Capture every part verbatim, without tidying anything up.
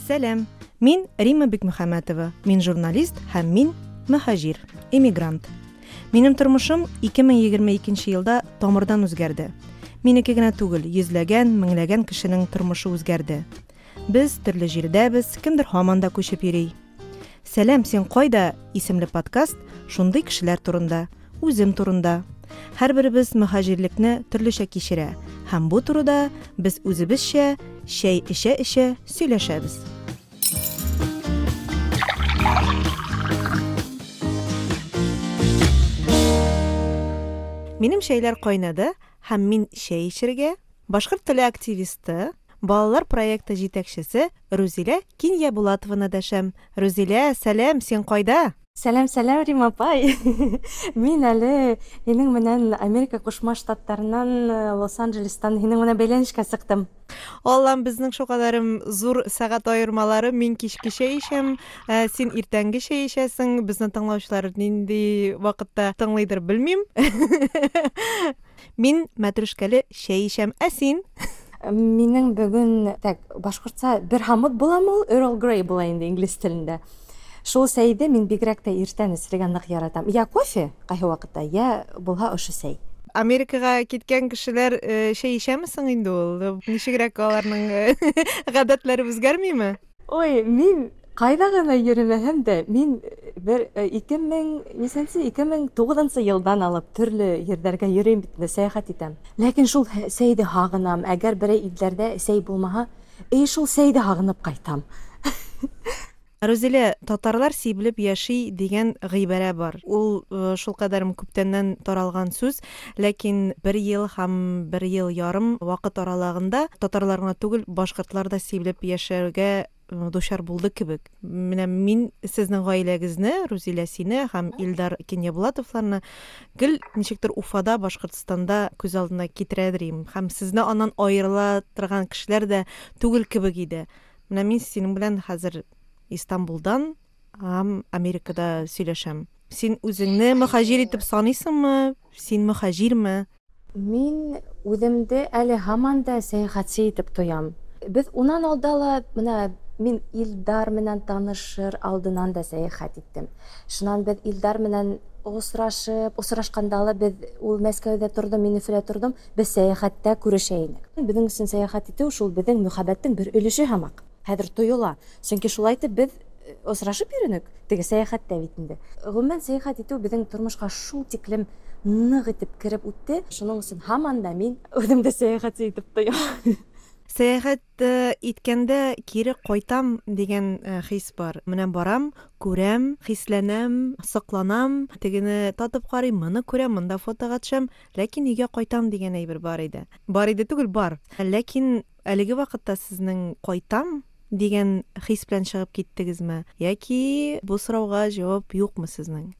Сәлам, мин Римма Бикмөхәммәтова, мин журналист һәм мин мөһаҗир, эмигрант. Минем тормышым ике мең егерме икенче елда тамырдан үзгәрде. Минеке генә түгел, йөзләгән, меңләгән кешенең тормышы үзгәрде. Без төрле җирдәбез, кемдер һаман да күчеп йөри. Сәлам, син кайда? Исемле подкаст шундый кешеләр турында, үзем турында. Һәрберебез мөһаҗирлекне төрлечә кичерә һәм бу турыда без үзебезчә чәй эчә-эчә сөйләшәбез. Минем чәйләр кайнады һәм мин чәй эчәргә башкорт теле активисты, балалар проекты җитәкчесе Рузилә Киньябулатованы дәшәм. Рузилә, сәлам, син кайда? Сәлам, сәлам, Рима апай. Мин әле һинең менән Америка Кушма Штаттарынан, Лос-Анджелестан һинең менән бәйләнешкә сыктым. Аллам, безнең шулкадәрем зур сәгать аермалары. Мин кичке чәй эчәм, ә, син иртәнге чәй эчәсең. Безне тыңлаучылар нинди вакытта тыңлыйдыр белмим. Мин мәтрүшкәле чәй эчәм, ә син? Минең бүген, так, башкортча бер хамут буламы ул? Earl Grey була инде инглиз телендә. Шул сәйде мин бигрәк тә иртән эчергә нык яратам. Я кофе кайсы вакытта, я булһа ошо сәй. Америкага киткән кешеләр, э, чәй эчәме соң инде ул? Ничегрәк аларның, э, гадәтләре үзгәрмиме? Ой, мин кайда гына йөрмәһәм дә, мин бер, э, ике мең нисәнче, ике мең тугызынчы елдан алып төрле ерләргә йөрим бит инде, сәяхәт итәм. Ләкин шул сәйде һагынам. Әгәр берәй илләрдә сәй булмаһа, эй, шул сәйде һагынып кайтам. Рузилә, татарлар сибелеп яши дигән гыйбарә бар. Ул, э, шулкадәр күптәннән таралган сүз, ләкин бер ел һәм бер ел ярым вакыт аралыгында татарлар гына түгел, башкортлар да сибелеп яшәргә, э, дучар булды кебек. Менә мин сезнең гаиләгезне, Рузилә сине һәм Илдар Киньябулатовларны гел ничектер Уфада, Башкортстанда күз алдына китерәдер идем. Һәм сезне аннан аерыла торган кешеләр дә түгел кебек иде. Менә мин синең белән хәзер Истанбулдан һәм Америкада сөйләшәм. Син үзеңне мөһаҗир итеп саныйсыңмы? Син мөһаҗирме? Мин үземде әле һаман да сәяхәтче итеп тоям. Без унан алда ла, менә мин Илдар менән танышыр алдынан да сәяхәт иттем. Шуннан без Илдар менән осрашып, осрашканда ла без ул Мәскәүдә тордым, мин Өфөлә тордым, без сәяхәттә күрешә инек. Безнең өчен сәяхәт итү шул безнең мөхәббәттең бер өлеше һамак. Хәзер тоела. Чөнки шулай итеп без осрашып йөренек, теге сәяхәттә бит инде. Гомумән сәяхәт итү безнең тормышка шул тиклем нык итеп кереп үтте. Шуның өчен һаман да мин үзем дә сәяхәтче итеп тоям. Сәяхәт, э, иткәндә кире кайтам дигән, э, хис бар. Менә барам, күрәм, хисләнәм, сокланам, тегене татып карыйм, моны күрәм, монда фотога төшәм, ләкин өйгә кайтам дигән әйбер бар иде. Бар иде түгел, бар. Ләкин әлеге вакытта сезнең кайтам дигән хис белән чыгып киттегезме? Яки бу сорауга җавап юкмы сезнең?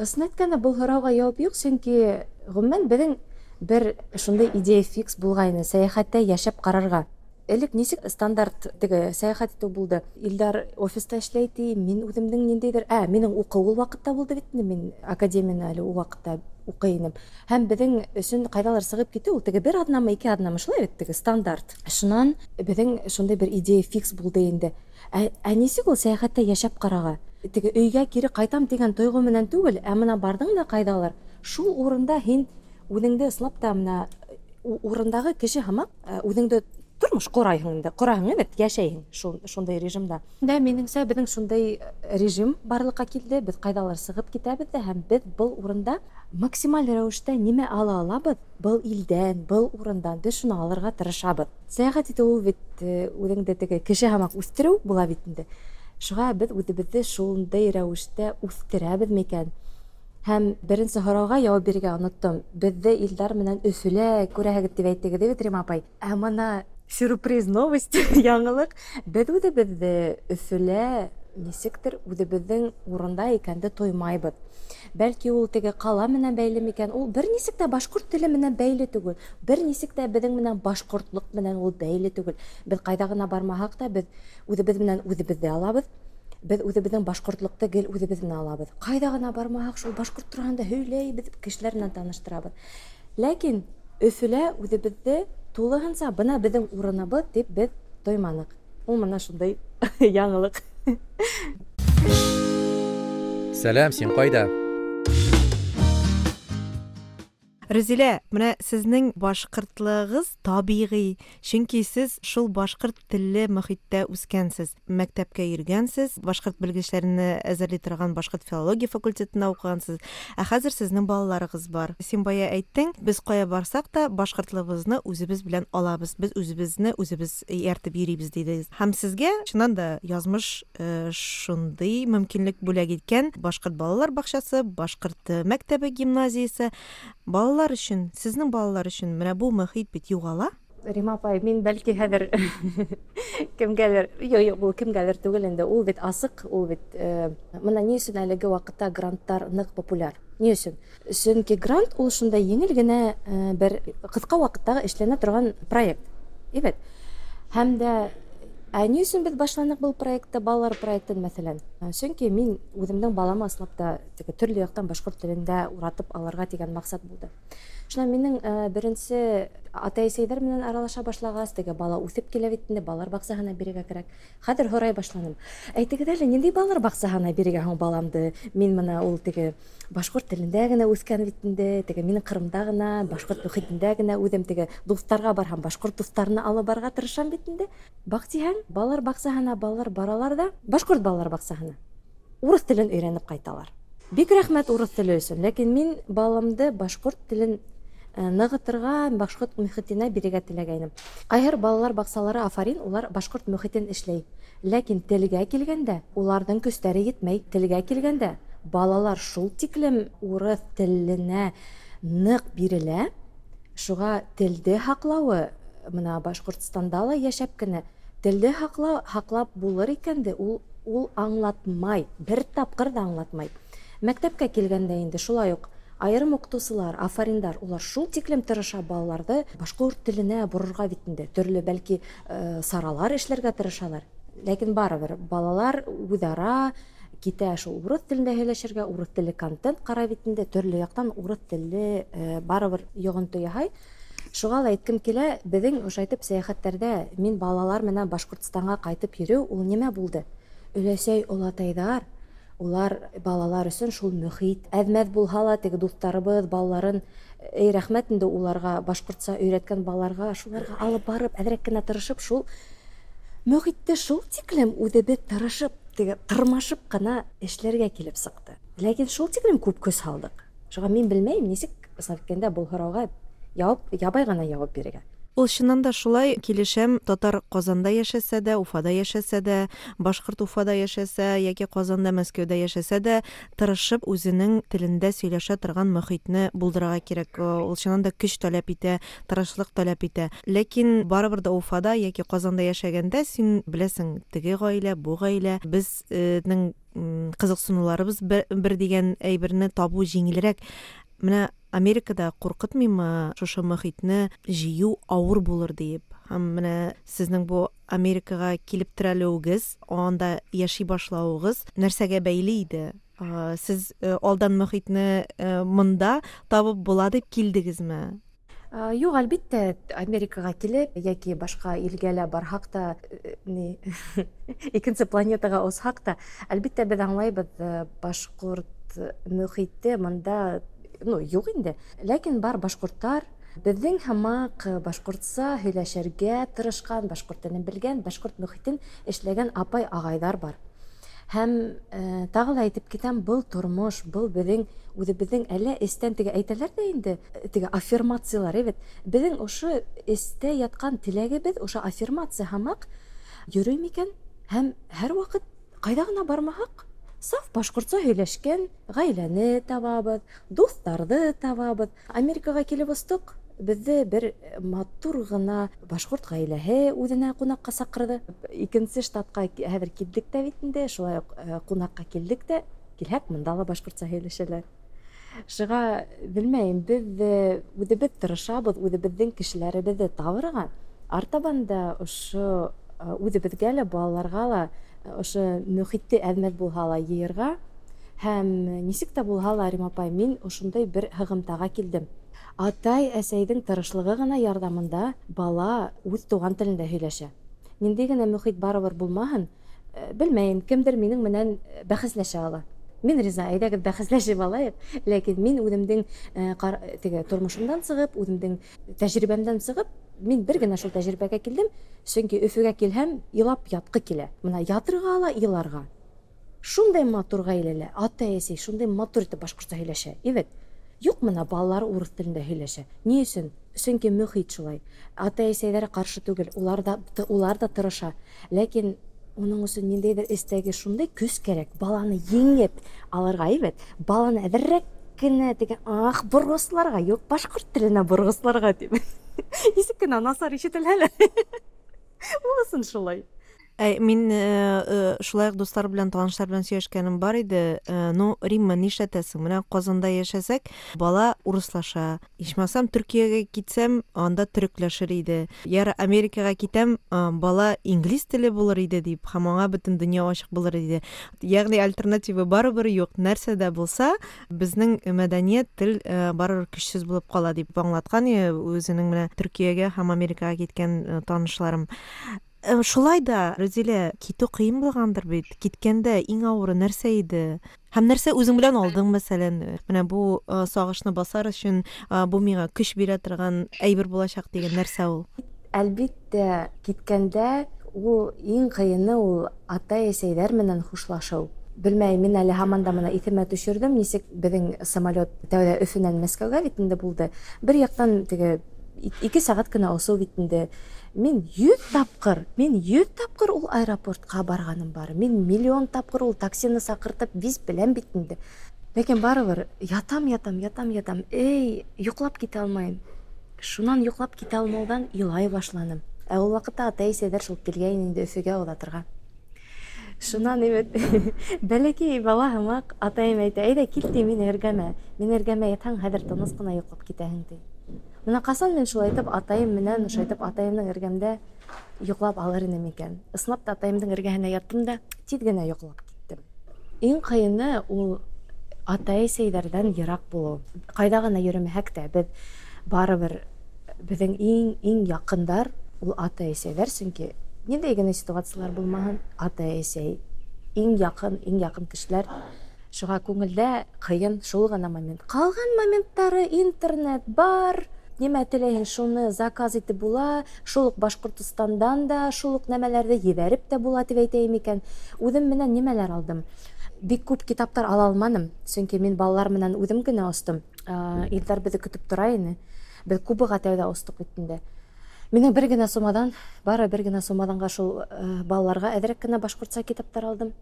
Ысын әйткәндә, бу сорауга җавап юк, чөнки гомумән безнең бер шундый идея фикс булгайны, сәяхәттә яшәп карарга. Элек ничек стандарт теге сәяхәт итү булды? Илдар офиста эшләй ди, мин үземнең ниндәйдер, ә, минем уку ул вакытта булды бит инде, мин академияне әле ул вакытта укый идем. Һәм безнең өчен кайдалар чыгып китү, ул теге бер атнамы, ике атнамы, шулай бит теге стандарт. Шуннан безнең шундый бер идея фикс булды инде. Ә, ә ничек ул сәяхәттә яшәп карага? Теге өйгә кире кайтам дигән тойгы менән түгел, ә менә бардың да кайдалар. Шул урында һин үзеңде ыслап та менә урындагы кеше һамак, ә, үзеңде тормыш корайһың инде, корайһың бит, яшәйһең шул, шундай режимда. Дә минеңсә безнең шундай режим барлыкка килде, без кайдалар чыгып китәбез дә һәм без был урында максималь рәвештә нимә ала алабыз, был илдән, был урындан без шуны алырга тырышабыз. Сәяхәт итү ул бит, э, үзеңде теге кеше һамак үстерү була бит инде. Шуңа без үзебезне шундай рәвештә үстерәбез микән? Һәм беренче һорауга яуап бирергә оныттым. Беҙҙе Илдар менән Өфөлә күрәһегеҙ тип әйттегеҙ бит, Рима апай. Ә мына сюрприз новость, яңылыҡ. Беҙ үҙебеҙҙе Өфөлә нисектер үҙебеҙҙең урында икәнде тоймайбыҙ. Бәлки ул теге ҡала менән бәйле микән? Ул бер нисек тә башҡорт теле менән бәйле түгел. Бер нисек тә беҙҙең менән башҡортлоҡ менән ул бәйле түгел. Беҙ ҡайҙа ғына бармаһаҡ та, беҙ үҙебеҙ менән үҙебеҙҙе алабыҙ. Беҙ үҙебеҙҙең башҡортлоҡты гел үҙебеҙ менән алабыҙ. Ҡайҙа ғына бармаһаҡ, шул башҡорт тураһында һөйләйбеҙ, кешеләр менән таныштырабыҙ. Ләкин Өфөлә үҙебеҙҙе тулыһынса бына беҙҙең урыныбыҙ тип беҙ тойманыҡ. Ул менә шундай яңалык. Сәлам, син кайда? Рузилә, менә сезнең башкортлыгыгыз табигый, чөнки сез шул башкорт телле мөхиттә үскәнсез, мәктәпкә йөргәнсез, башкорт белгечләрен әзерли торган башкорт филология факультетында укыгансыз. Ә хәзер сезнең балаларыгыз бар. Син бая әйттең, без кая барсак та башкортлыгыбызны үзебез белән алабыз, без үзебезне үзебез ияртеп йөрибез дидегез. Һәм сезгә чыннан да язмыш э, шундый мөмкинлек бүләк иткән: башкорт балалар бакчасы, башкорт э, мәктәбе, гимназиясе. Балалар өчен, сезнең балалар өчен менә бу мөхит бит югала. Рима апай, мин бәлки хәзер кемгәлер, юк, юк, ул кемгәлер түгел инде, ул бит асык, ул бит э, менә ни өчен әлеге вакытта грантлар нык популяр? Ни өчен? Чөнки грант ул шундай җиңел генә э, бер кыска вакыттагы эшләнә торган проект. Әйбәт. Һәм дә ә ни өчен без башланык был проектты, балалар проектын, мәсәлән? Чөнки мин үземнең баламы аслап та теге төрле яктан башкорт телендә уратып алырга дигән максат булды. Шуннан минең э, беренче атай-әсәйләр белән аралаша башлагач, теге бала үсеп килә бит инде, балалар бакчаһына бирергә кирәк. Хәзер һорай башланым. Әйтегез әле, нинди балалар бакчаһына бирергә һуң баламды? Мин менә ул теге башкорт телендә генә үскән бит инде, теге минем Кырымда гына, башкорт мөхитендә генә үзем теге дусларга барһам, башкорт дусларны алып барырга тырышам бит инде. Бактиһәң, балалар бакчаһына балалар баралар да, башкорт балалар бакчаһына. Урыс телен өйрәнеп кайталар. Бик рәхмәт урыс теле өчен, ләкин мин баламды башкорт телен э, ныгытырга, башкорт мөхитенә бирергә теләгәйнем. Кайһыр балалар бакчалары афарин, улар башкорт мөхитен эшләй. Ләкин телгә килгәндә, уларның көчләре йитмәй. Телгә килгәндә, балалар шул тиклем урыс теленә нык бирелә, шуга телде һаклавы, менә Башкортстанда ла яшәп кенә, телде һакла, һаклап булыр икән дә, ул, ул аңлатмай, бер тапкыр да аңлатмай. Мәктәпкә килгәндә инде шулай ук айрым укытучылар, афариндар, улар шул тиклем тырыша балаларны башкорт теленә борырга бит инде. Төрле бәлки, э, саралар эшләргә тырышалар. Ләкин барыбер балалар үзара китә шул урыс телендә һөйләшергә, урыс телле контент карай бит инде, төрле яктан урыс телле, э, барыбер йогынты яһай. Шуға ла әйткем килә, беҙҙең ошайтып сәйәхәттәрҙә мин балалар менән Башҡортостанға ҡайтып йөрөү ул нимә булды? Өләсәй олатайҙар, улар балалар өсөн шул мөхит. Әҙмәҙ булһа ла теге дуҫтарыбыҙ балаларын, эй, рәхмәт инде уларға, башҡортса өйрәткән балаларға, шуларға алып барып, әҙерәк кенә тырышып, шул мөхитте шул тиклем үҙебеҙ тырышып, теге тырмашып ҡына эшләргә килеп сыҡты. Ләкин шул тиклем күп көс һалдыҡ. Шуға мин белмәйем, нисек әйткәндә был һорауға яуап, ябай ғына яуап бирергә. Ул чыннан да шулай, килешәм, татар Казанда яшәсә дә, Уфада яшәсә дә, башкорт Уфада яшәсә яки Казанда, Мәскәүдә яшәсә дә, тырышып үзенең телендә сөйләшә торган мөхитне булдырырга кирәк. Ул чыннан да көч таләп итә, тырышлык таләп итә. Ләкин барыбер дә Уфада яки Казанда яшәгәндә син беләсең, теге гаилә, бу гаилә, безнең, м, кызыксынуларыбыз бер, бер дигән әйберне табу җиңелрәк. Менә Америкада куркытмыймы шушы мөхитне җыю авыр булыр диеп? Һәм менә сезнең бу Америкага килеп терәлүегез, анда яши башлавыгыз нәрсәгә бәйле иде? А, сез, э, алдан мөхитне, э, монда табып була дип килдегезме? А, юк, әлбиттә, Америкага килеп яки башка илгә лә барһак та, э, ни, икенче планетага узһак та, әлбиттә, беҙ аңлайбыҙ, э, башҡорт мөхите монда, ну, юҡ инде. Ләкин бар башҡорттар, беҙҙең һымаҡ башҡортса һөйләшергә тырышҡан, башҡорт телен белгән, башҡорт мөхитен эшләгән апай-ағайҙар бар. Һәм, э, тағы ла әйтеп китәм, был тормош, был беҙҙең үҙебеҙҙең әллә эстән теге әйтәләр ҙә инде, теге аффирмациялар, әйбәт. Беҙҙең ошо эстә ятҡан теләгебеҙ, ошо аффирмация һымаҡ йөрөй микән? Һәм һәр ваҡыт ҡайҙа ғына бармаһаҡ, саф башҡортса һөйләшкән ғаиләне табабыҙ, дуҫтарҙы табабыҙ. Америкаға килеп остоҡ, беҙҙе бер матур ғына башҡорт ғаиләһе үҙенә ҡунаҡҡа саҡырҙы. Икенсе штатҡа хәҙер килдек тә бит инде, шулай уҡ, э, ҡунаҡҡа килдек тә, килһәк, бында ла башҡортса һөйләшәләр. Шуға белмәйем, беҙ, э, үҙебеҙ тырышабыҙ, үҙебеҙҙең кешеләребеҙҙе табырға. Артабан да ошо, э, үҙебеҙгә лә, балаларға ла ошо мөхитте әҙмәҙ булһа ла йыйырға. Һәм нисек тә булһа ла, Рима апай, мин ошондай бер һығымтаға килдем. Атай әсәйҙең тырышлығы ғына ярҙамында бала үҙ туған телендә һөйләшә. Нинди генә мөхит барыбер булмаһын, белмәйем, кемдер минең менән бәхәсләшә ала. Мин риза, әйдәгез бәхәсләшеп алайык, ләкин мин үземнең теге тормышымдан чыгып, үземнең тәҗрибәмдән чыгып, мин бер генә шул тәҗрибәгә килдем, чөнки Өфөгә килһәм, елап яткы килә. Менә ятырга ала, еларга. Шундай матур гаиләләр, ата-әсәй шундай матур итеп башкортча һөйләшә. Әйбәт. Юк, менә балалар урыс телендә һөйләшә. Ни өчен? Чөнки мөхит шулай. Ата-әсәйләре каршы түгел, улар да, улар да тырыша. Ләкин уның өчен ниндәйдер эстәге шундай көс кәрәк, баланы еңеп алырга, әйбәт. Баланы әзеррәк кенә дигән, ах, боргысларга, юк, башкорт теленә боргысларга дип. Ничек кенә насар ишетелә әле. Булсын шулай. Әй, мин шулай ук дуслар белән, танышлар белән сөйләшкәнем бар иде. Ну, Римма, нишләтәсең? Менә Казанда яшәсәк, бала урыслаша. Ичмасам, Төркиягә китсәм, анда төрекләшер иде. Яр Америкага китәм, бала инглиз теле булыр иде дип, һәм аңа бөтен дөнья ачык булыр иде. Ягъни альтернатива барыбер юк. Нәрсә дә булса, безнең мәдәният, тел барыбер көчсез булып кала дип аңлаткан үзенең менә Төркиягә һәм Америкага киткән танышларым. Шулай да, Рузилә, китү кыен булгандыр бит. Киткәндә иң авыры нәрсә иде? Һәм нәрсә үзең белән алдың, мәсәлән? Менә бу сагышны басар өчен бу миңа көч бирә торган әйбер булачак дигән нәрсә ул? Әлбиттә, киткәндә ул иң кыены ул ата-әсәйләр менән хушлашу. Белмәйм, мин әле һаман да моны иҫемә төшөрҙөм, нисек беҙҙең самолет тәүҙә Өфөнән Мәскәүгә бит инде булды. Бер яҡтан теге ике сәғәт кенә осоу бит инде. Мин йөҙ тапҡыр, мин йөҙ тапҡыр ул аэропортҡа барғаным бар. Мин миллион тапҡыр ул таксины саҡыртып виз беләм бит инде. Ләкин барыбер ятам, ятам, ятам, ятам. Эй, йоҡлап китә алмайым. Шунан йоҡлап китә алмауҙан илай башланым. Ә ул ваҡытта атай-әсәйҙәр шул килгәйне инде Өфөгә оҙатырға. Шунан эбет бәләкәй бала һымаҡ атайым әйтә, әйҙә кил ти мин эргәмә. Мин эргәмә ятһаң, хәҙер тыныс ҡына йоҡлап китәһең ти. Мына ҡасан мин шулай итеп атайым менән, шулай итеп атайымдың эргәмдә йоҡлап алыр инем икән. Ысынлап та атайымдың эргәһенә яттым да тиҙ генә йоҡлап киттем. Иң ҡыйыны ул атай-әсәйҙәрҙән йыраҡ булыу. Ҡайҙа ғына йөрөмәһәк тә, беҙ барыбер беҙҙең иң иң яҡындар ул атай-әсәйҙәр, сөнки ниндәй генә ситуациялар булмаһын, атай-әсәй иң яҡын, иң яҡын кешеләр. Шуға күңелдә ҡыйын шул ғына момент. Ҡалған моменттары интернет бар, нимә теләйһең шуны заказ итеп була, шул уҡ Башҡортостандан да шул уҡ нәмәләрҙе ебәреп тә була тип әйтәйем икән. Үҙем менән нимәләр алдым? Бик күп китаптар ала алманым, сөнки мин балалар менән үҙем генә остом. Илдар беҙҙе көтөп тора ине. Беҙ Кубаға тәүҙә остоҡ бит инде. Минең бер генә сумадан, бары бер генә сумаданға шул балаларға әҙерәк кенә башҡортса китаптар алдым.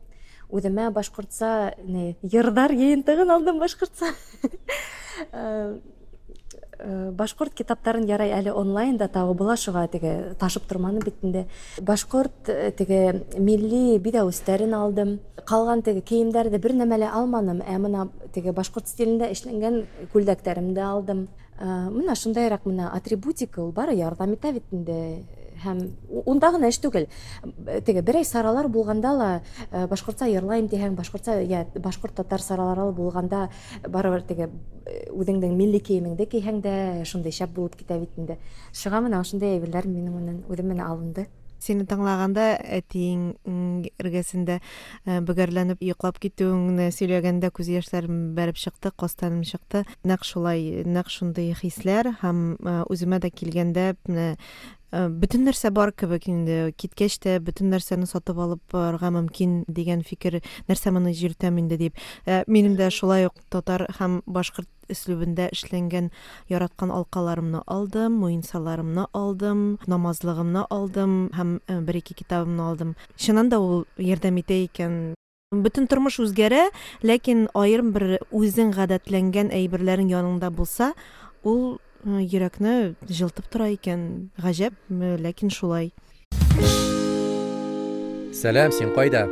Үҙемә башҡортса не, йырҙар йыйынтығын алдым башҡортса. Башҡорт китаптарын ярай әле онлайн да табып була, шуға теге ташып торманым бит инде. Башҡорт теге милли биҙәүестәрен алдым. Ҡалған теге кейемдәрҙе бер нәмә лә алманым, ә мына теге башҡорт стилендә эшләнгән күлдәктәремде алдым. Мына шундайыраҡ мына атрибутика ул бары ярҙам итә бит инде. Һәм унда ғына эш түгел. Теге берәй саралар булғанда ла башҡортса йырлайым тиһәң, башҡортса йә башҡорт татар саралары булғанда барыбер теге үҙеңдең милли кейемеңде кейһәң дә шундай шәп булып китә бит инде. Шуға мына ошондай әйберләр минең менән үҙем менән алынды. Сине тыңлағанда әтиең эргәсендә бөгәрләнеп йоҡлап китеүеңне сөйләгәндә күҙ йәштәрем бәреп сыҡты, ҡастаным сыҡты. Нәҡ шулай, нәҡ шундай хисләр һәм үҙемә дә килгәндә менә бөтөн нәрсә бар кебек инде. Киткәс тә бөтөн нәрсәне сатып алып барырға мөмкин дигән фикер, нәрсә моны йөртәм инде дип. Минем дә шулай ук татар һәм башҡорт өслүбендә эшләнгән яраткан алҡаларымны алдым, муенсаларымны алдым, намазлығымны алдым һәм бер-ике китабымны алдым. Чыннан да ул ярҙам итә икән. Бөтөн тормыш үзгәрә, ләкин айырым бер үзең ғәҙәтләнгән әйберләрең яныңда булса, ул йөрәкне җылытып тора икән. Ғәжәп, ләкин шулай. Сәлам, син ҡайҙа?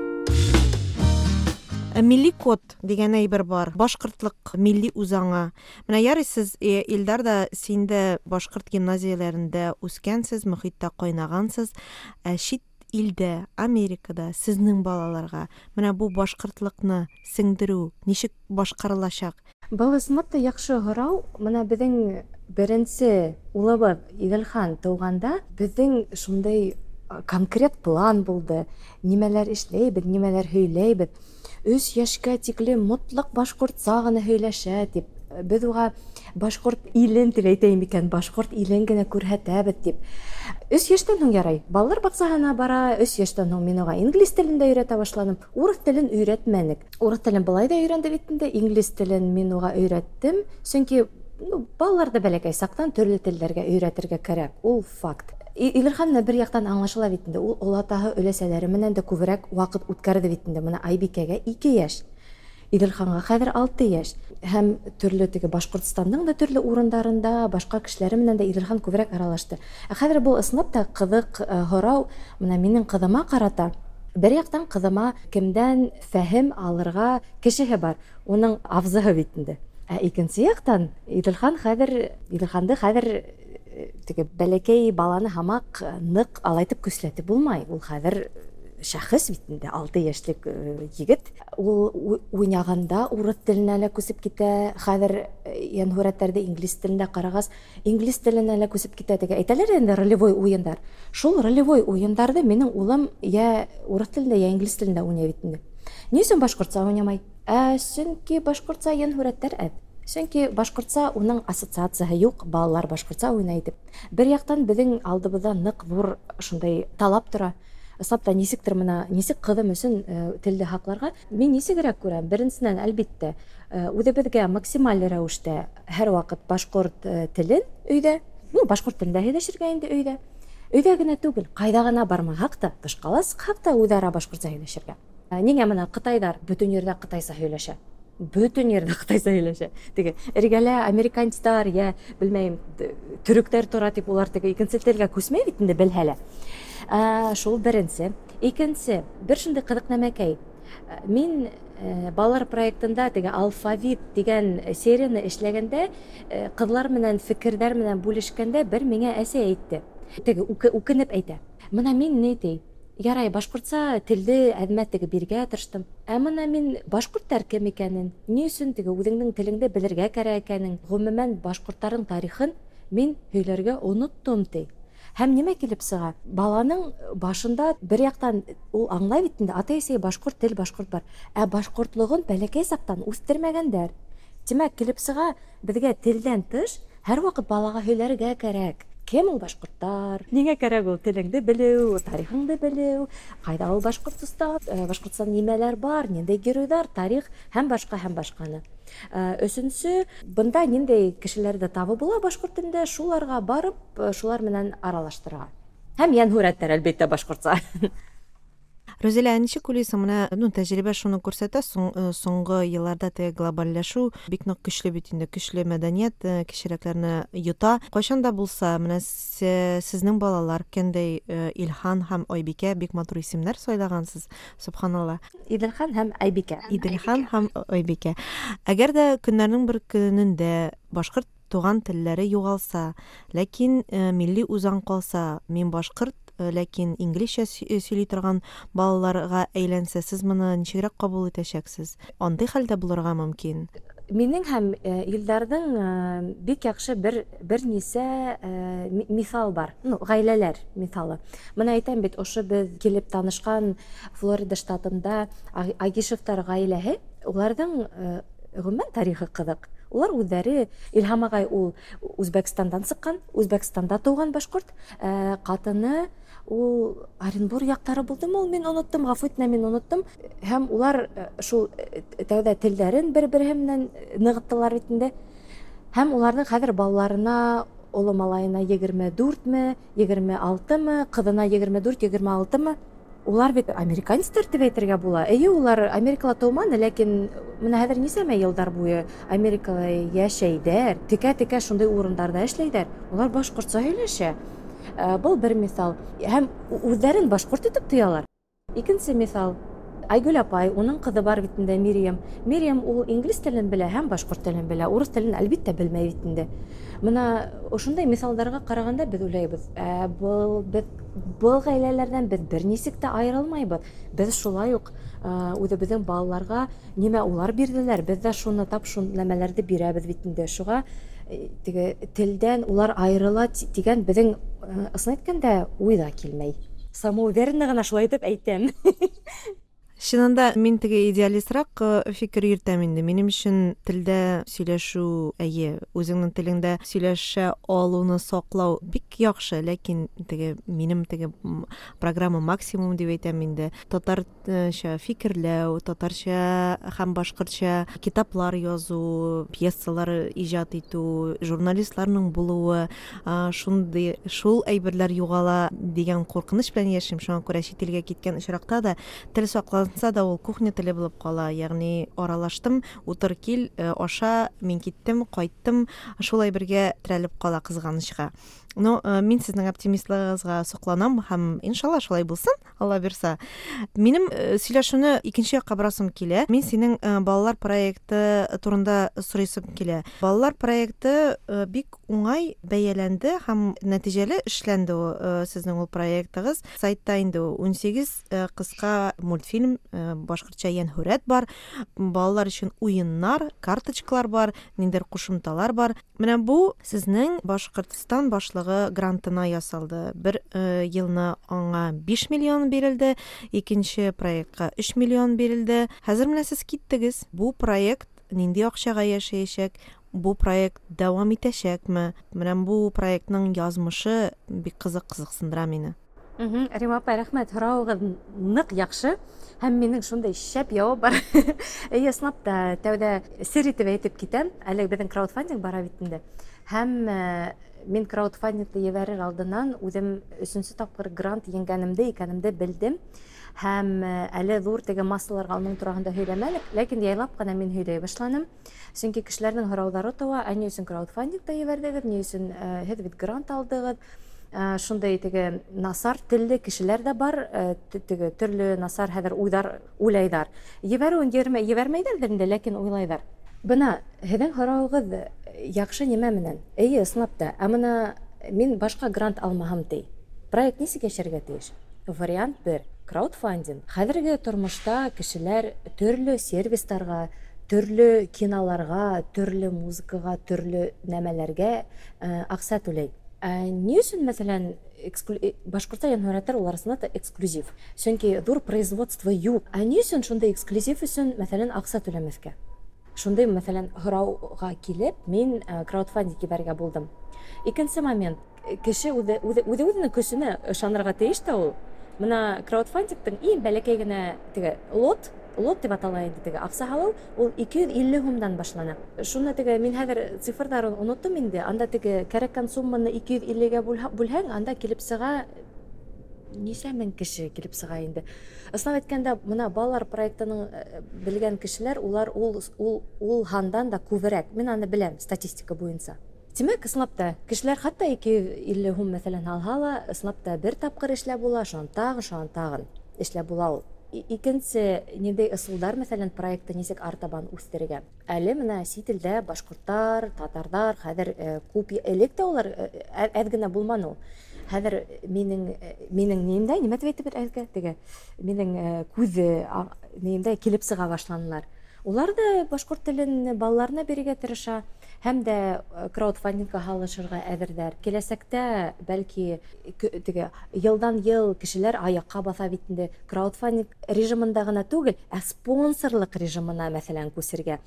Милли код дигән әйбер бар. Башҡортлыҡ милли үзаңы. Менә ярый сез, Илдар да, син дә башҡорт гимназияләрендә үскәнсез, мөхиттә ҡайнағансыз. Ә чит илдә, Америкада сезнең балаларға менә бу башҡортлыҡны сеңдереү ничек башҡарылачаҡ? Был ысынлап та яҡшы һорау. Менә беҙҙең беренсе улыбыҙ Иҙелхан тыуғанда беҙҙең шундай Конкрет план булды. Нимәләр эшләйбеҙ, нимәләр һөйләйбеҙ. Өс йәшкә тиклем мотлаҡ башҡортса ғына һөйләшә тип. Беҙ уға башҡорт илен тип әйтәйем икән, башҡорт илен генә күрһәтәбеҙ тип. Өс йәштән һуң ярай. Балалар баҡсаһына бара, өс йәштән һуң мин уға инглиз телен дә өйрәтә башланым. Урыҫ телен өйрәтмәнек. Урыҫ телен былай ҙа өйрәнде бит инде, инглиз телен мин уға өйрәттем. Сөнки ну, балаларҙы бәләкәй саҡтан төрлө телдәргә өйрәтергә кәрәк. Ул факт. Илерхан менән бер яҡтан аңлашыла бит инде. Ул олатаһы өләсәләре менән дә күберәк ваҡыт үткәрҙе бит инде. Мына Айбикәгә ике йәш. Иделханға хәҙер алты йәш. Һәм төрлө теге Башҡортостандың да төрлө урындарында башҡа кешеләре менән дә Иделхан күберәк аралашты. Ә хәҙер был ысынлап та ҡыҙыҡ һорау мына минең ҡыҙыма ҡарата. Бер яҡтан ҡыҙыма кемдән фәһем алырға кешеһе бар, уның абзыһы бит инде. Ә икенсе яҡтан Иделхан хәҙер Иделханды хәҙер теге бәләкәй баланы һамаҡ ныҡ алайтып көсләтеп булмай. Ул хәҙер шәхес бит инде, алты йәшлек егет. Ул уйнағанда урыҫ теленә лә күсеп китә, хәҙер йәнһүрәттәрҙе инглиз телендә ҡарағас, инглиз теленә лә күсеп китә. Теге әйтәләр инде ролевой уйындар. Шул ролевой уйындарҙы минең улым йә урыҫ телендә, йә инглиз телендә уйнай бит инде. Ни өсөн башҡортса уйнамай? Ә сөнки башҡортса йәнһүрәттәр әҙ. Сөнки башҡортса уның ассоциацияһы юҡ, балалар башҡортса уйнай тип. Бер яҡтан беҙҙең алдыбыҙҙа ныҡ ҙур шундай талап тора. Ысынлап та нисектер мына нисек ҡыҙым өсөн телде һаҡларға, мин нисегерәк күрәм. Беренсенән, әлбиттә, үҙебеҙгә максималь рәүештә һәр ваҡыт башҡорт телен өйҙә, ну, башҡорт телендә һөйләшергә инде өйҙә. Өйҙә генә түгел, ҡайҙа ғына бармаһаҡ та, тышҡа ла сыҡһаҡ та үҙ-ара башҡортса һөйләшергә. Ниңә мына ҡытайҙар бөтөн ерҙә ҡытайса һөйләшә? Бөтөн ерҙә ҡытайса һөйләшә. Теге эргәлә американецтар, йә белмәйем, төрөктәр тора тип улар теге икенсе телгә күсмәй бит инде белһә лә. Шул беренсе. Икенсе, бер шундай ҡыҙыҡ нәмәкәй. Мин балалар проектында теге алфавит тигән серияны эшләгәндә, ҡыҙлар менән фекерҙәр менән бүлешкәндә бер миңә әсәй әйтте. Теге үкенеп әйтә. Мына мин ни ти? Ярай, башҡортса телде әҙмә теге биргә тырыштым. Ә мына мин башҡорттар кем икәнен, ни өсөн теге үҙеңдең телеңде белергә кәрәк икәнен, ғөмүмән башҡорттарҙың тарихын мин һөйләргә оноттом ти. Һәм нимә килеп сыға? Баланың башында бер яҡтан ул аңлай бит инде, атай-әсәй башҡорт тел, башҡорт бар. Ә башҡортлоғон бәләкәй саҡтан үҫтермәгәндәр. Тимәк, килеп сыға, беҙгә телдән тыш һәр ваҡыт балаға һөйләргә кәрәк. Кем ул башҡорттар? Ниңә кәрәк ул телеңде белеү, тарихыңды белеү, ҡайҙа ул Башҡортостан, Башҡортостан нимәләр бар, ниндәй геройҙар, тарих һәм башҡа һәм башҡаны. Өсөнсө, бында ниндәй кешеләрҙе табып була башҡорт телендә, шуларға барып, шулар менән аралаштырға. Һәм йәнһүрәттәр, әлбиттә, башҡортса. Рузилә, ничек уйлыйсың, менә, ну, тәжрибә шуны күрсәтә, соңғы йылларда теге глобальләшү бик нык көчле бит инде, көчле мәдәният кешеләрне йота. Кайчан да булса, менә сезнең балалар, кендәй Илхан һәм Айбикә, бик матур исемнәр сайлагансыз, субханалла. Иделхан һәм Айбикә. Иделхан һәм Айбикә. Әгәр дә көннәрнең бер көнендә башҡорт туган телләре югалса, ләкин милли үзаң калса, мин башҡорт, ләкин инглизчә сөйли торган балаларга әйләнсә, сез моны ничегрәк кабул итәчәксез? Андый хәлдә булырга мөмкин. Минең һәм Илдарҙың бик яҡшы бер бер нисә миҫал бар. Ну, ғаиләләр миҫалы. Мына әйтәм бит, ошо беҙ килеп танышҡан Флорида штатында Агишевтар ғаиләһе, уларҙың ғөмүмән тарихы ҡыҙыҡ. Улар үҙҙәре, Илһам ағай ул Үзбәкстандан сыҡҡан, Үзбәкстанда тыуған башҡорт, ҡатыны ул Оренбур яҡтары булдымы ул, мин оноттом, ғәфү итмә, мин оноттом. Һәм улар шул тәүҙә телдәрен бер-береһе менән нығыттылар бит инде. Һәм уларҙың хәҙер балаларына, оло малайына егерме дүртме, егерме алтымы, ҡыҙына егерме дүрт, егерме алтымы. Улар бит американецтар тип әйтергә була. Эйе, улар Америкала тыуманы, ләкин мына хәҙер нисәмә йылдар буйы Америкала йәшәйҙәр, текә-текә шундай урындарҙа эшләйҙәр. Улар башҡортса һөйләшә. Был бер миҫал. Һәм үҙҙәрен башҡорт итеп тоялар. Икенсе миҫал. Айгөл апай, уның ҡыҙы бар бит инде, Мириям. Мириям ул инглиз телен белә һәм башҡорт телен белә, урыҫ телен әлбиттә белмәй бит инде. Мына ошондай миҫалдарға ҡарағанда беҙ уйлайбыҙ, ә, был беҙ был ғаиләләрҙән беҙ бер нисек тә айырылмайбыҙ. Беҙ шулай уҡ үҙебеҙҙең балаларға нимә улар бирҙеләр, беҙ ҙә шуны тап шул нәмәләрҙе бирәбеҙ бит инде. Шуға теге телдән улар айырыла тигән беҙҙең ысын әйткәндә уй ҙа килмәй. Самоуверенно гына шулай итеп әйтәм. Чынында мин теге идеалистрак фикер йөртәм инде. Минем өчен телдә сөйләшү, әйе, үзеңнең телеңдә сөйләшә алуны саклау бик яхшы, ләкин теге минем теге программа максимум дип әйтәм инде. Татарча фикерләү, татарча һәм башкортча китаплар язу, пьесалар иҗат итү, журналистларның булуы, шундый шул әйберләр югала дигән куркыныч белән яшим. Шуңа күрә чит илгә киткән очракта да тел саклау да ул кухня теле булып кала, ягъни аралаштым, утыр кил, аша, мин киттем, кайттым, шулай бергә терәлеп кала кызганычка. Но мин сезнең оптимистлыгыгызга сокланам һәм иншалла шулай булсын, Алла бирса. Минем сөйләшүне икенче якка борасым килә. Мин синең балалар проекты турында сорыйсым килә. Балалар проекты бик уңай бәяләнде һәм нәтиҗәле эшләнде сезнең ул проектыгыз. Сайтта инде ун сигез кыска мультфильм, башкортча йәнһүрәт бар, балалар өчен уеннар, карточкалар бар, ниндидер кушымталар бар. Менә бу сезнең Башкортстан башлыгы грантына ясалды. Бер елны аңа биш миллион бирелде, икенче проектка өч миллион бирелде. Хәзер менә сез киттегез. Бу проект нинди акчага яшәячәк? Бу проект дәвам итәчәкме? Менә бу проектның язмышы бик кызык кызыксындыра мине. Рима апай, рәхмәт, һорауыгыз нык яхшы. Һәм минең шундай шәп явап бар. Әйе, ысынлап та тәүдә сер итеп әйтеп китәм. Әле беҙҙең краудфандинг бара бит инде. Һәм мин краудфандингты ебәрер алдынан үҙем өсөнсө тапҡыр грант еңгәнемде икәнемде белдем. Һәм әле ҙур теге массаларға уның тураһында һөйләмәлек, ләкин яйлап ҡына мин һөйләй башланым. Сөнки кешеләрҙең һорауҙары тыуа: ә ни өсөн краудфандингта ебәрҙегеҙ, ни өсөн һеҙ бит грант алдығыҙ? Шундай теге насар телле кешеләр дә бар, теге төрлө насар хәҙер уйҙар уйлайҙар. Ебәреүен ебәрмәйҙәрҙер инде, ләкин уйлайҙар. Бына һеҙҙең һорауығыҙ яҡшы нимә менән? Эйе, ысынлап та. Ә бына мин башҡа грант алмаһам ти. Проект нисек йәшәргә тейеш? Вариант бер краудфандинг. Хәҙерге тормошта кешеләр төрлө сервистарға, төрлө киноларға, төрлө музыкаға, төрлө нәмәләргә аҡса түләй. Ни өсөн, мәҫәлән, башҡортса йәнһүрәттәр улар арасында да эксклюзив? Сөнки ҙур производство юҡ. Ә ни өсөн шундай эксклюзив өсөн, мәҫәлән, аҡса түләмәҫкә? Шундай, мәҫәлән, һорауға килеп, мин краудфандинг ебәрергә булдым. Икенсе момент, кеше үҙе үҙенең көсөнә ышанырға тейеш тә ул. Бына краудфандингтың иң бәләкәй генә теге лот, лот тип атала инде теге аҡса һалыу, ул ике йөҙ илле һумдан башлана. Шуны теге мин хәҙер цифрҙарын оноттом инде. Анда теге кәрәккән сумманы ике йөҙ иллегә бүлһәң, анда килеп сыға нисә мең кеше килеп сыға инде. Ысынлап әйткәндә, бына балалар проектының белгән кешеләр, улар ул ул ул һандан да күберәк. Мин аны беләм статистика буйынса. Тимәк, ысынлап та, кешеләр хатта ике йөҙ илле һум мәҫәлән һалһа ла, ысынлап та бер тапҡыр эшләп була, шунан тағын, шунан тағын эшләп була ул. Икенсе, ниндәй ысулдар, мәҫәлән, проектты нисек артабан үҫтерергә? Әле бына сит илдә башҡорттар, татарҙар хәҙер күп, элек тә улар әҙ генә булманы ул. Хәҙер минең минең нимдә, нимә тип әйтеп әйткән, теге минең күҙ нимдә килеп сыға башланылар. Улар да башҡорт телен балаларына бирергә тырыша, һәм дә краудфандингка һалышырға әҙерҙәр. Киләсәктә бәлки теге йылдан йыл кешеләр аяҡҡа баҫа бит инде. Краудфандинг режимында ғына түгел, ә спонсорлыҡ режимына, мәҫәлән, күсергә,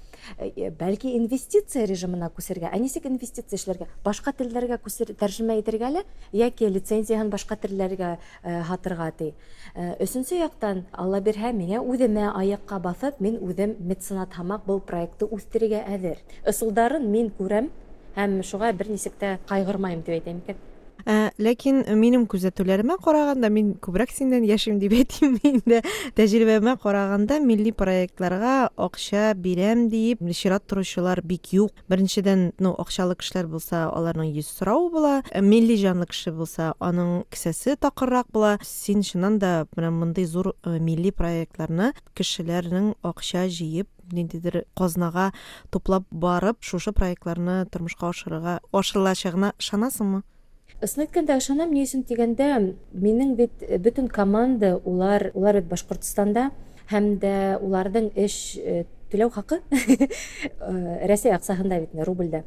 бәлки инвестиция режимына күсергә. Ә нисек инвестиция эшләргә? Башҡа телдәргә күсер, тәржемә итергә лә, йәки лицензияһын башҡа телдәргә һатырға ти. Өсөнсө яҡтан, Алла бирһә, миңә үҙемә аяҡҡа баҫып, мин үҙем меценат һымаҡ был проектты үҫтерергә әҙер. Ысулдарын мин күрәм һәм шуға бер нисек тә ҡайғырмайым тип әйтәм икән. Ә, ләкин минем күзәтүләремә ҡарағанда, мин күберәк синнән йәшим дип әйтим инде. Тәжрибәмә ҡарағанда, милли проектларға аҡса бирәм дип чират торучылар бик юҡ. Беренсенән, ну, аҡсалы кешеләр булса, аларның йөз сорауы була. Милли җанлы кеше булса, аның кесәсе такыррак була. Син чыннан да менә мондый зур милли проектларны кешеләрнең аҡса җыеп, ниндидер казнага туплап барып, шушы проектларны тормышка ашырырга, ашырылачагына ышанасыңмы? Ысын әйткәндә ышанам, ни өсөн тигәндә, минең бит бөтөн команда, улар, улар бит Башҡортостанда, һәм дә уларҙың эш түләү хаҡы Рәсәй аҡсаһында бит, рублдә.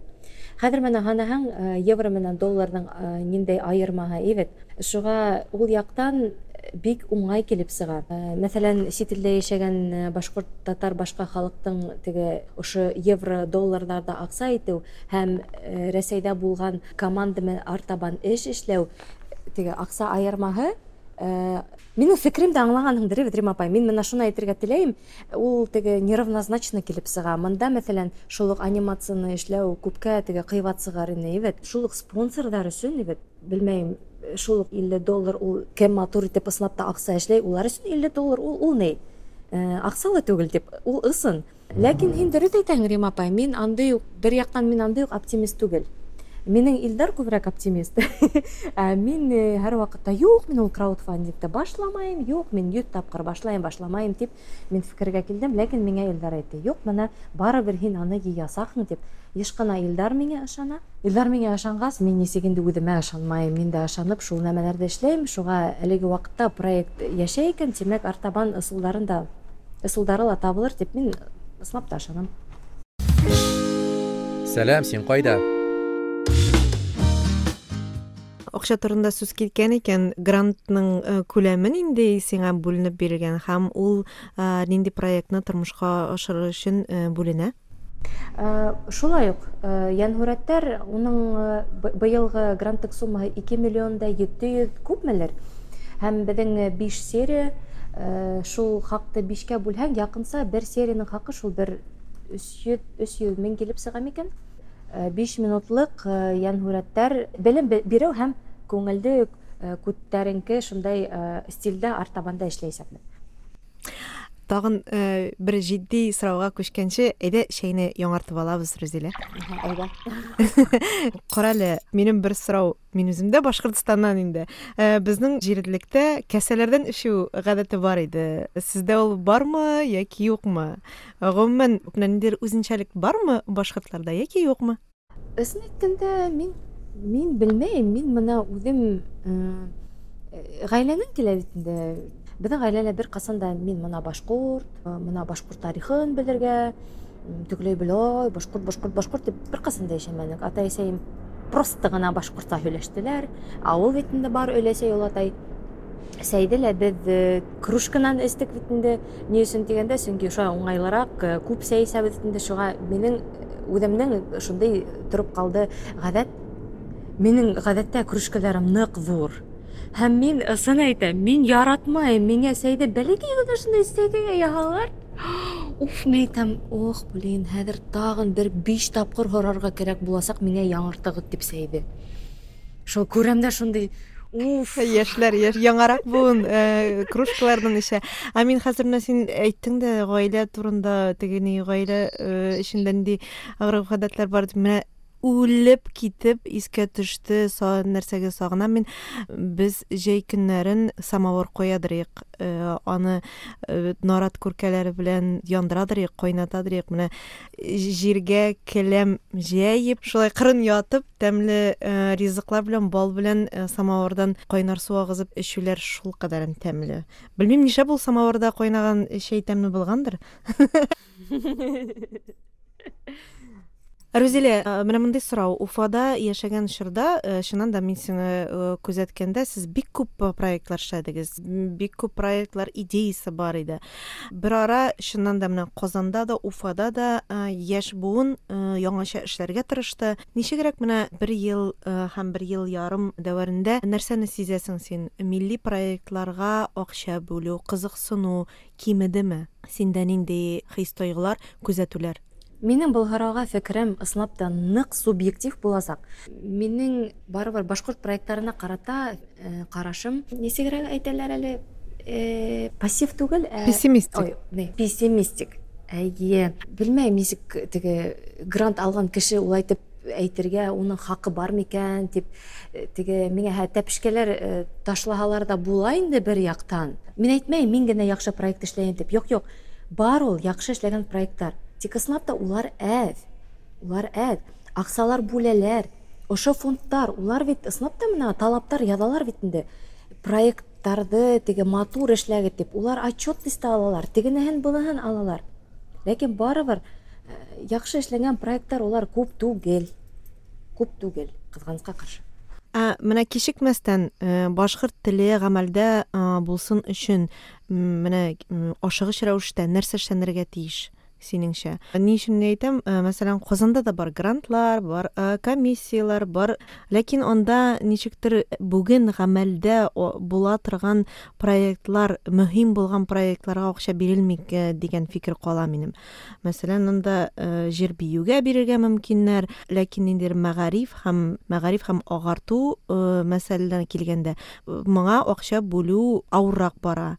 Хәҙер менә һанаһаң, евро менән долларҙың ниндәй айырмаһы бит. Шуға ул яҡтан бик уңай килеп сыға. Мәҫәлән, сит илдә йәшәгән башҡорт, татар, башҡа халыҡтың теге ошо евро, долларҙарҙа аҡса итеү һәм Рәсәйҙә булған команда менән артабан эш эшләү, теге аҡса айырмаһы. Минең фекремде аңлағанһыңдыр, бит, Рима апай. Мин мына шуны әйтергә теләйем, ул теге неравнозначно килеп сыға. Мында, мәҫәлән, шул уҡ анимацияны эшләү күпкә теге ҡыйбат сығар ине, бит. Шул уҡ спонсорҙар өсөн, бит, белмәйем, шул уҡ илле доллар ул кем матур итеп ысынлап та аҡса эшләй, улар өсөн илле доллар ул, ул ни? Аҡса ла түгел тип, ул ысын. Ләкин һин дөрөҫ әйтәһең, Рима апай, мин андый уҡ, бер яҡтан мин андый уҡ оптимист түгел. Минең Илдар күберәк оптимист. Ә мин һәр ваҡытта юҡ, мин ул краудфандингты башламайым, юҡ, мин йөҙ тапҡыр башлайым, башламайым тип мин фекергә килдем, ләкин миңә Илдар әйтте, юҡ, мына барыбер һин аны йыясаҡһың тип. Йыш ҡына Илдар миңә ышана. Илдар миңә ышанғас, мин нисек инде үҙемә ышанмайым, мин дә ышанып шул нәмәләрҙе эшләйем. Шуға әлеге ваҡытта проект йәшәй икән, тимәк, артабан ысулдарын да, ысулдары ла табылыр тип мин ысынлап та ышанам. Сәләм, һин ҡайҙа? Аҡса турында сүз киткән икән, грантның күләме ниндәй сиңа бүленеп бирелгән һәм ул нинди проектны тормошҡа ашырыр өсөн бүленә? Шулай уҡ, йәнһүрәттәр, уның быйылғы гранттыҡ суммаһы ике миллион да ете йөҙ күпмелер. Һәм беҙҙең биш серия, шул хаҡты бишкә бүлһәң, яҡынса бер серияның хаҡы шул бер өс йөҙ, өс йөҙ мең килеп сыға микән? Биш минутлыҡ йәнһүрәттәр белем биреү һәм күңелде күтәренке шундай стилдә артабанда эшләйсәкмен. Тағын бер етди сорауға күскәнсе, әйҙә шәйне яңартып алабыҙ, Рүзилә. Әйҙә. Ҡара әле, минең бер сорау, мин үҙем дә Башҡортостаннан инде. Беҙҙең ерлектә кәсәләрҙән эсеү ғәҙәте бар иде. Һеҙҙә ул бармы йәки юҡмы? Ғөмүмән, ниндәйҙер үҙенсәлек бармы башҡортларҙа йәки юҡмы? Ысын әйткәндә, мин мин белмәйем, мин мына үҙем ғаиләнән килә бит инде. Беҙҙең ғаиләлә бер ҡасан да мин мына башҡорт, мына башҡорт тарихын белергә, тегеләй беләй, башҡорт, башҡорт, башҡорт тип бер ҡасан да йәшәмәнек. Атай-әсәйем просто ғына башҡортса һөйләштеләр. Ауыл бит инде бар өләсәй, олатай. Сәйҙе лә беҙ кружканан эстек бит инде. Ни өсөн тигәндә, сөнки шулай уңайлыраҡ, күп сәй эсәбеҙ бит инде. Шуға минең үҙемдең шундай тороп ҡалды ғәҙәт. Минең ғәҙәттә кружкаларым ныҡ ҙур. Һәм мин ысын әйтәм, мин яратмайым, миңә сәйҙе бәләкәй генә шундай сәйгә яһалар. Уф, мин әйтәм, ох, блин, хәҙер тағын бер биш тапҡыр һорарға кәрәк буласаҡ миңә яңыртығыҙ тип сәйҙе. Шул күрәм дә шундай, уф. Йәшләр, йәш, яңыраҡ быуын кружкаларҙан эсә. Ә мин хәҙер менә һин әйттең дә ғаилә турында, теге ни ғаилә эшендә ниндәй ғөрөф-ғәҙәтләр бар тип, менә үлеп китеп искә төштө, нәрсәгә сағынам мин. Беҙ жәй көннәрен самавыр ҡуядырыҡ, аны нарат күркәләре белән яндырадырыҡ, ҡайнатадырыҡ. Менә җиргә келәм җәйеп, шулай ҡырын ятып, тәмле ризыҡлар белән, бал белән самавырҙан ҡайнар су ағыҙып эсеүләр шул ҡәҙәрен тәмле. Белмәйем, нишләп ул самавырҙа ҡайнаған шәй тәмле булғандыр. Рүзилә, менә мондый сорау. Уфада йәшәгән чорда, чыннан да мин сине күзәткәндә, сез бик күп проектлар эшләдегез, бик күп проектлар идеясы бар иде. Бер ара чыннан да менә Казанда да, Уфада да яшь буын яңача эшләргә тырышты. Ничегрәк менә бер ел һәм бер ел ярым дәверендә нәрсәне сизәсең син? Милли проектларга акча бүлү, кызыксыну кимедеме? Синдә нинди хис-тойғолар, күзәтүләр? Минең был һорауға фекерем ысынлап та ныҡ субъектив буласаҡ. Минең барыбер башҡорт проекттарына ҡарата ҡарашым, нисегерәк әйтәләр әле, пассив түгел, ә пессимистик. Ой, не, пессимистик. Әйе, белмәйем, нисек теге грант алған кеше улай итеп әйтергә уның хаҡы бар микән тип, теге миңә тәпешкәләр ташлаһалар ҙа була инде бер яҡтан. Мин әйтмәйем, мин генә яҡшы проект эшләйем тип. Юҡ, юҡ. Бар ул яҡшы эшләгән проекттар. Тик ысынлап та улар әҙ, улар әҙ, аҡсалар бүләләр, ошо фондтар, улар бит ысынлап та мына талаптар яҙалар бит инде. Проекттарҙы теге матур эшләгеҙ тип, улар отчетность алалар, тегенеһен, быныһын алалар. Ләкин барыбер яҡшы эшләнгән проекттар улар күп түгел, күп түгел, ҡыҙғанысҡа ҡаршы. Ә менә кичекмәстән башкорт теле гамәлдә булсын өчен менә ашыгыч рәвештә нәрсә эшләнергә тиеш синеңчә? Ни өчен әйтәм, мәсәлән, Казанда да бар грантлар, бар комиссияләр, бар, ләкин анда ничектер бүген гамәлдә була торган проектлар, мөһим булган проектларга акча бирелми дигән фикер кала минем. Мәсәлән, анда җыр биюгә бирергә мөмкиннәр, ләкин ниндидер мәгариф һәм мәгариф һәм агарту мәсьәләләренә килгәндә, моңа акча бүлү авыррак бара.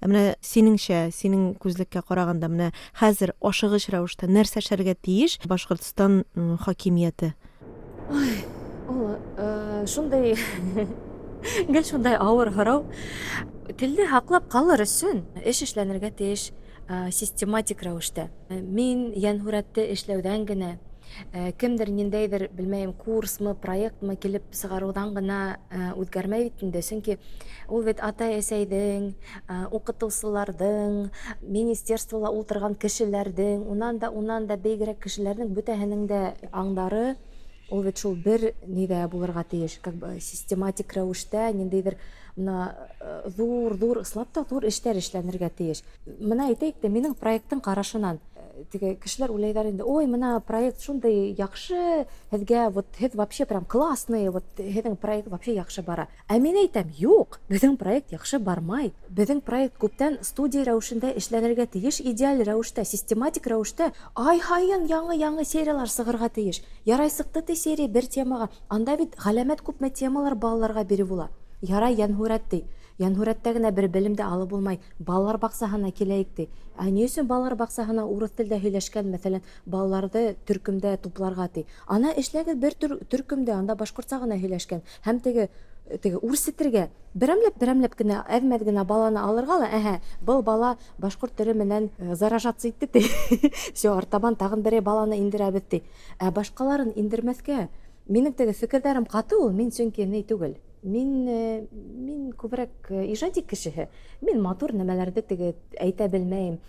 Менә синеңчә, синең күзлеккә караганда, менә хәзер ашыгыч рәвештә нәрсә эшләргә тиеш Башкортстан хакимияте? Ой, ул шундай гел шундай авыр һорау. Телне һаклап калыр өчен эш эшләнергә тиеш систематик рәвештә. Мин Йәнһүрәттә эшләүдән генә, кемдер ниндәйдер, белмәйем, курсмы, проектмы килеп сыгарудан гына үткәрмәй бит инде. Чөнки ул бит атай-әсәйҙең, укытыусыларҙың, министерствола ултырған кешеләрҙең, унан да, унан да бигерәк кешеләрҙең бөтәһенең дә аңдары ул бит шул бер нидә булырға тейеш, как бы систематик рәүештә ниндәйҙер мына ҙур-ҙур, ысынлап та ҙур эштәр эшләнергә тейеш. Мына әйтәйек тә, минең проекттың ҡарашынан теге кешеләр уйлайҙар инде, ой, мына проект шундай яҡшы, һеҙгә вот һеҙ вообще прям классный, вот һеҙҙең проект вообще яҡшы бара. Ә мин әйтәм, юҡ, беҙҙең проект яҡшы бармай. Беҙҙең проект күптән студия рәүешендә эшләнергә тейеш, идеаль рәүештә, систематик рәүештә ай һайын яңы-яңы сериялар сығырға тейеш. Ярай сыҡты ти серия бер темаға, анда бит ғәләмәт күпме темалар балаларға биреп була. Ярай Йәнһүрәт ти. Йәнһүрәттә генә бер белем дә алып булмай. Балалар баҡсаһына киләйек ти. Ә ни өсөн балалар баҡсаһына урыҫ телдә һөйләшкән, мәҫәлән, балаларҙы төркөмдә тупларға ти. Ана эшләгеҙ бер төркөмдә, анда башҡортса ғына һөйләшкән. Һәм теге, теге үрсетергә, берәмләп-берәмләп кенә, әҙ-мәҙ генә баланы алырға ла, әһә, был бала башҡорт теле менән заражаться итте ти. Всё, артабан тағын берәй баланы индерәбеҙ ти. Ә башҡаларын индермәҫкә. Минең теге фекерҙәрем ҡаты ул, мин сөнки ни түгел. Мин, мин күберәк ижади кешеһе. Мин матур нәмәләрҙе теге әйтә белмәйем.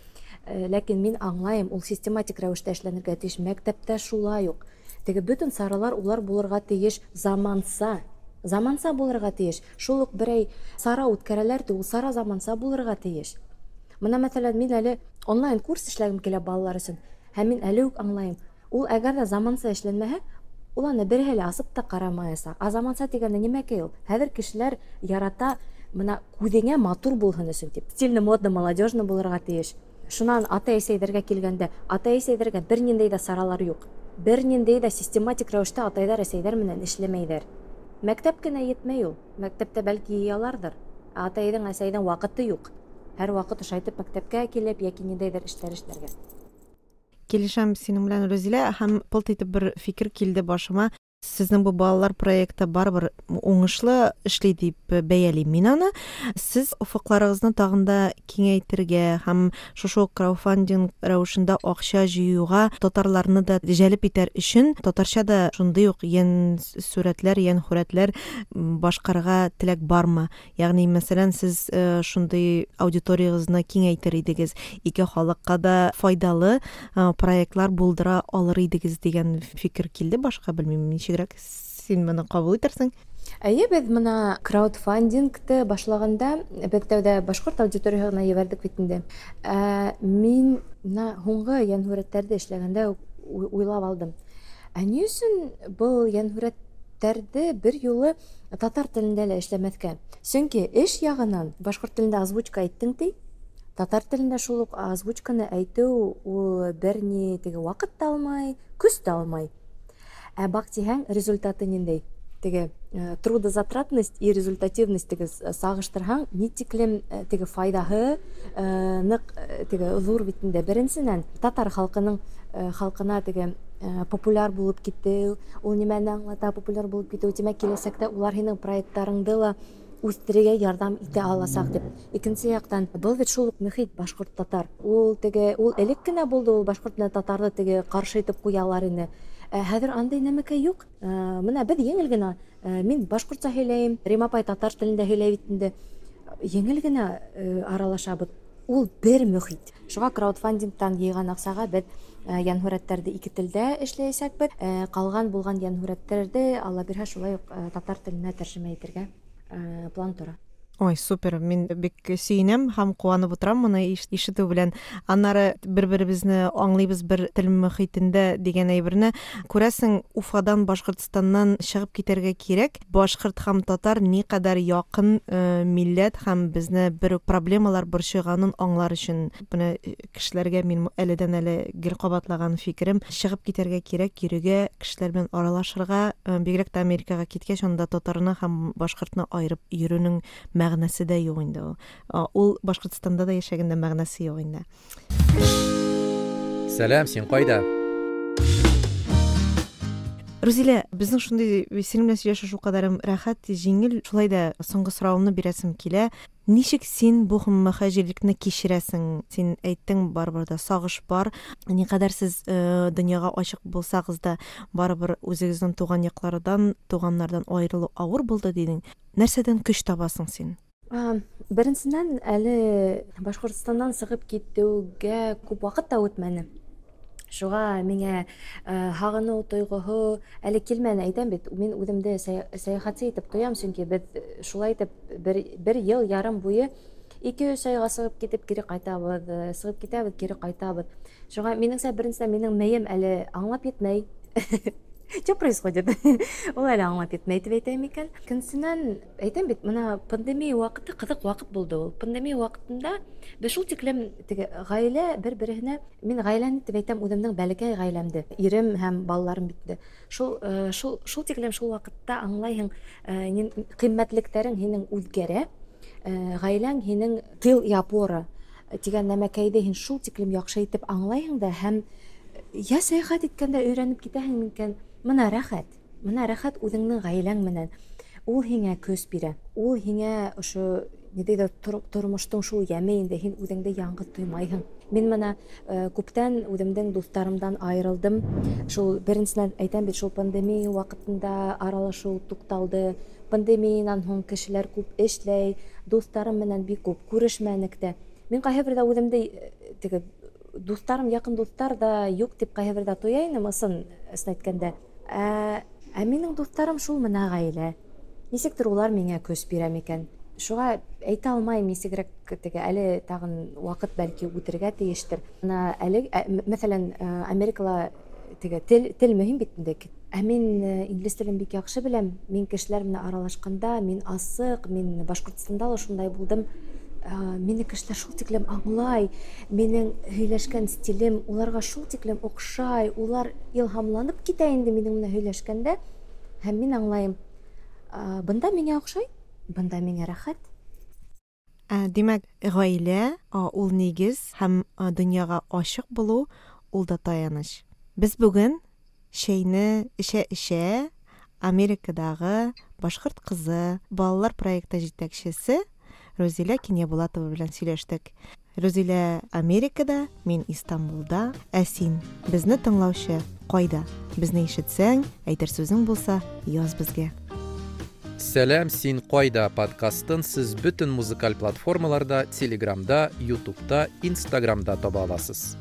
Ләкин мин аңлайым, ул систематик рәүештә эшләнергә тейеш. Мәктәптә шулай уҡ. Теге бөтөн саралар улар булырға тейеш заманса. Заманса булырға тейеш. Шул уҡ берәй сара үткәрәләр ти, ул сара заманса булырға тейеш. Мына мәҫәлән, мин әле онлайн курс эшләгем килә балалар өсөн. Һәм мин әле үк аңлайым. Ул әгәр ҙә заманса эшләнмәһә, ул аны береһе лә асып та ҡарамаясаҡ. Ә заманса тигәндә нимәкәй ул? Хәҙер кешеләр ярата мына күҙеңә матур булһын өсөн тип. Стильно, модно, молодежно булырға тейеш. Шунан атай-әсәйҙәргә килгәндә, атай-әсәйҙәргә бер ниндәй ҙә саралар юҡ. Бер ниндәй ҙә систематик рәүештә атайҙар, әсәйҙәр менән эшләмәйҙәр. Мәктәп кенә етмәй ул. Мәктәптә бәлки йыяларҙыр. Ә атайҙың, әсәйҙең ваҡыты юҡ. Һәр ваҡыт ошайтып мәктәпкә килеп йәки ниндәйҙер эштәр эшләргә. Килешәм синең белән, Рузилә, һәм пылт итеп бер фикер килде башыма. Сезнең бу балалар проекты барыбер уңышлы эшли дип бәялим мин аны. Сез офыҡларығыҙны тағын да киңәйтергә һәм шушы уҡ краудфандинг рәүешендә аҡса йыйыуға татарларны да җәлеп итәр өчен татарча да шундый уҡ йән сүрәтләр, йән хүрәтләр башҡарырға теләк бармы? Ягъни, мәсәлән, сез шундый аудиторияғыҙны киңәйтер идегеҙ, ике халыҡҡа да файҙалы проектлар булдыра алыр идегеҙ дигән фикер килде башҡа, белмәйем, нисегерәк син моны ҡабул итерсең? Әйе, беҙ мына краудфандингты башлағанда беҙ тәүҙә башҡорт аудиторияһына ебәрҙек бит инде. Ә, мин мына һуңғы йәнһүрәттәрҙе эшләгәндә уйлап алдым. Ә ни өсөн был йәнһүрәттәрҙе бер юлы татар телендә лә эшләмәҫкә? Сөнки эш яғынан башҡорт телендә озвучка әйттең ти, татар телендә шул уҡ озвучканы әйтеү ул бер ни теге ваҡыт та алмай, көс тә алмай. Ә баҡтиһәң, результаты ниндәй? Теге трудозатратность и результативность теге сағыштырһаң, ни тиклем теге файҙаһы ныҡ теге ҙур бит инде. Беренсенән, татар халҡының халҡына теге популяр булып китеү, ул нимәне аңлата популяр булып китеү, тимәк, киләсәктә улар һинең проекттарыңды ла үҫтерергә ярҙам итә аласаҡ тип. Икенсе яҡтан, был бит шул уҡ мөхит башҡорт-татар. Ул теге, ул элек кенә булды, ул башҡорт менән татарҙы теге ҡаршы итеп ҡуялар ине. Хәҙер андай нәмәкәй юҡ. Мына беҙ еңел генә, мин башҡортса һөйләйем, Рима апай татар телендә һөйләй бит инде. Еңел генә аралашабыҙ. Ул бер мөхит. Шуңа краудфандингтан йыйган акчага без йәнһүрәтләрде ике телдә эшләячәкбез. Калган булган йәнһүрәтләрде Алла бирһә шулай ук татар теленә тәрҗемә итәргә план тора. Ой, супер, мин бик сөенәм һәм куанып утырам моны ишетү белән. Аннары бер-беребезне аңлыйбыз бер тел мөхитендә дигән әйберне. Күрәсең, Уфадан, Башкортстаннан чыгып китәргә кирәк. Башкорт һәм татар никадәр якын э, милләт һәм безне бер үк проблемалар борчыганын аңлар өчен менә кешеләргә мин әледән-әле гел кабатлаган фикерем: чыгып китәргә кирәк, йөрергә, кешеләр белән аралашырга, бигрәк тә Америкага киткәч, анда татарны һәм башкортны аерып йөрүнең мәгънәсе дә юк инде ул. Ул Башкортстанда да яшәгәндә мәгънәсе юк инде. Сәлам, син кайда? Рузилә, безнең шундый синең белән сөйләшү шулкадәр рәхәт, җиңел. Шулай да соңгы соравымны бирәсем килә. Ничек син бу мөһаҗирлекне кичерәсең? Син әйттең, барыбер дә сагыш бар. Никадәр сез э, дөньяга ачык булсагыз да, барыбер үзегезнең туган яклардан, туганнардан аерылу авыр булды дидең. Нәрсәдән көч табасың син? Беренсеннән, әле Башкортстаннан чыгып китүгә күп вакыт та үтмәне. Шуңа миңа һагыну тойгыһы әле килмәне. Әйтәм бит, мин үземдә сәяхәтче итеп тоям, чөнки без шулай итеп бер, бер ел ярым буе ике-өч айга чыгып китеп кире кайтабыз, чыгып китәбез, кире кайтабыз. Шуңа минеңчә, беренчедән, минем мием әле аңлап етмәй. Что происходит? Ул әле аңлап етмәй дип әйтәм икән. Икенчедән, әйтәм бит, менә пандемия вакыты кызык вакыт булды ул. Пандемия вакытында без шул тиклем теге гаилә бер-беренә, мин гаиләне дип әйтәм, үземнең бәләкәй гаиләмде, ирем һәм балаларым бит. Шул шул шул тиклем шул вакытта аңлайһың, кыйммәтлекләрең һинең үзгәрә, гаиләң һинең тыл и опора дигән нәмәкәйде һин шул тиклем яхшы итеп аңлайһың да һәм я сәяхәт иткәндә өйрәнеп китәһең икән. Мына рәхәт, мына рәхәт үзеңнең гаиләң менән. Ул һиңә көс бирә. Ул һиңә ошо ниндәйдер тормыштың шул яме инде, һин үзеңде яңгыз тоймайһың. Мин мына күптән үземнең дусларымдан аерылдым. Шул беренсеннән әйтәм бит, шул пандемия вакытында аралашу тукталды. Пандемиянан һуң кешеләр күп эшләй, дусларым менән бик күп күрешмәнек тә. Мин кайһы бердә үземдә теге дусларым, якын дуслар да юк дип кайһы бердә тоя инем, ысын әйткәндә. Ә, ә минең дусларым шул менә гаилә. Ничектер улар миңа көс бирә микән? Шуңа әйтә алмайм, ничегрәк теге әле тагын вакыт бәлки үтергә тиештер. Менә әле, мәсәлән, Америкала теге тел, тел мөһим бит инде. Ә мин инглиз телен бик яхшы беләм. Мин кешеләр белән аралашканда, мин асык, мин Башкортстанда да шундай булдым. Мине кешеләр шул тиклем аңлай, минең һөйләшкән стилем уларга шул тиклем охшай, улар илһамланып китә инде минең менән һөйләшкәндә. Һәм мин аңлайым, бында миңа охшай, бында миңа рәхәт. Димәк, гаилә ул нигез һәм дөньяга ачык булу ул да таяныч. Без бүген чәйне эчә-эчә Америкадагы башкорт кызы балалар проекты җитәкчесе Рузилә Киньябулатова белән сөйләштек. Рузилә Америкада, мин Истанбулда, ә син, безне тыңлаучы, кайда? Безне ишетсәң, әйтер сүзең булса, яз безгә. Сәлам, син кайда подкастын сез бөтен музыкаль платформаларда, Телеграмда, Ютубта, Инстаграмда таба аласыз.